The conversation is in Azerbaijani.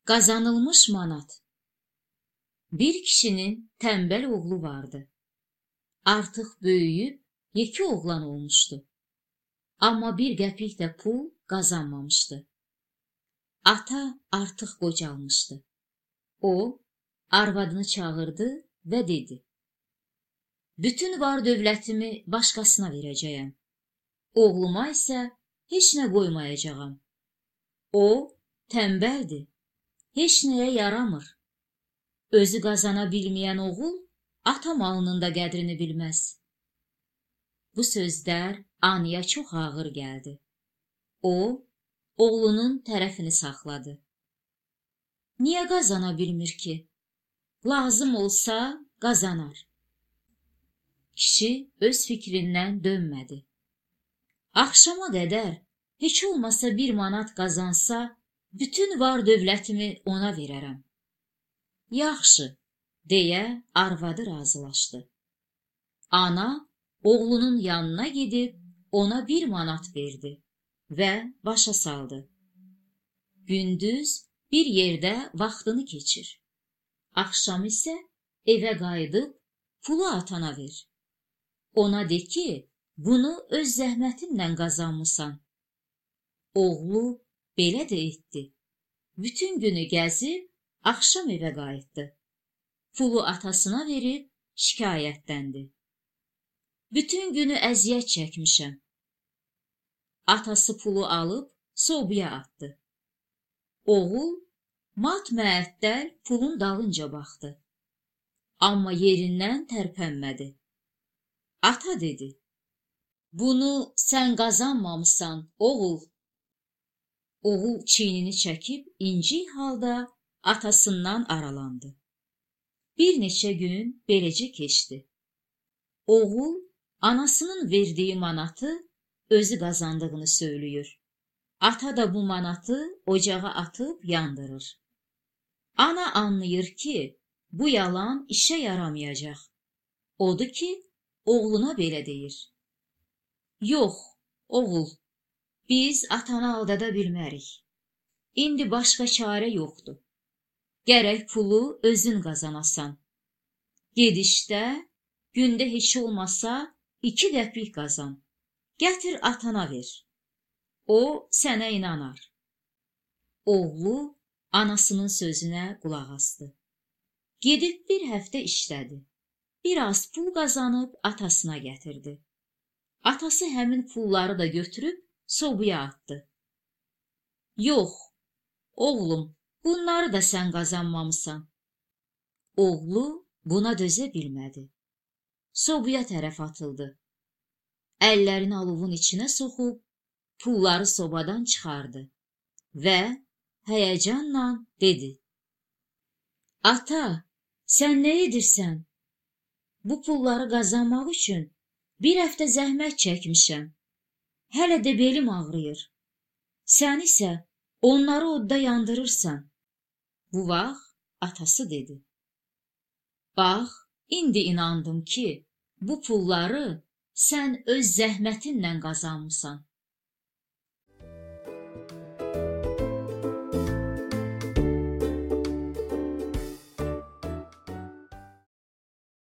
Qazanılmış manat. Bir kişinin tembel oğlu vardı. Artıq böyüyüb yekə oğlan olmuşdu. Amma bir qəpik də pul qazanmamışdı. Ata artıq qocalmışdı. O, arvadını çağırdı və dedi: "Bütün var dövlətimi başqasına verəcəyəm. Oğluma isə heç nə qoymayacağam. O, tembeldir, heç nəyə yaramır. Özü qazana bilməyən oğul, ata malının da qədrini bilməz." Bu sözlər Anaya çox ağır gəldi. O, oğlunun tərəfini saxladı. Niyə qazana bilmir ki? Lazım olsa qazanar. Kişi öz fikrindən dönmədi. Axşama qədər heç olmasa 1 manat qazansa, bütün var dövlətimi ona verərəm. Yaxşı, deyə arvadı razılaşdı. Ana oğlunun yanına gedib ona 1 manat verdi və başa saldı. Gündüz bir yerdə vaxtını keçir. Axşam isə evə qayıdıb pulu atana ver. Ona de ki, bunu öz zəhmətinlə qazanmısan. Oğlu belə də etdi. Bütün günü gəzib, axşam evə qayıtdı. Pulu atasına verib şikayətləndi. Bütün günü əziyyət çəkmişəm. Atası pulu alıb sobaya atdı. Oğul mat-məəttəl pulun dalınca baxdı. Amma yerindən tərpənmədi. Ata dedi: "Bunu sən qazanmamısan, oğul." Oğul çiynini çəkib incik halda atasından aralandı. Bir neçə gün beləcə keçdi. Oğul anasının verdiyi manatı özü qazandığını söylüyor. Ata da bu manatı ocağa atıb yandırır. Ana anlayır ki, bu yalan işə yaramayacaq. Odur ki, oğluna belə deyir: "Yox, oğul, biz atanı aldada bilmərik. İndi başqa çarə yoxdur. Gərək pulu özün qazanasan. Gedişdə gündə heç olmasa 2 qəpik qazan. Gətir atana ver. O sənə inanar." Oğlu anasının sözünə qulaq asdı. Gedib bir həftə işlədi. Biraz pul qazanıb atasına gətirdi. Atası həmin pulları da götürüb sobaya atdı. "Yox, oğlum, bunları da sən qazanmamısan." Oğlu buna dözə bilmədi. Sobaya tərəf atıldı. Əllərini alovun içinə soxub, pulları sobadan çıxardı və həyəcanla dedi: "Ata, sən nə edirsən? Bu pulları qazanmaq üçün 1 həftə zəhmət çəkmişəm. Hələ də belim ağrıyır. Sən isə onları odda yandırırsan." Bu vaxt atası dedi: "Bax, indi inandım ki, bu pulları sən öz zəhmətinlə qazanmısan.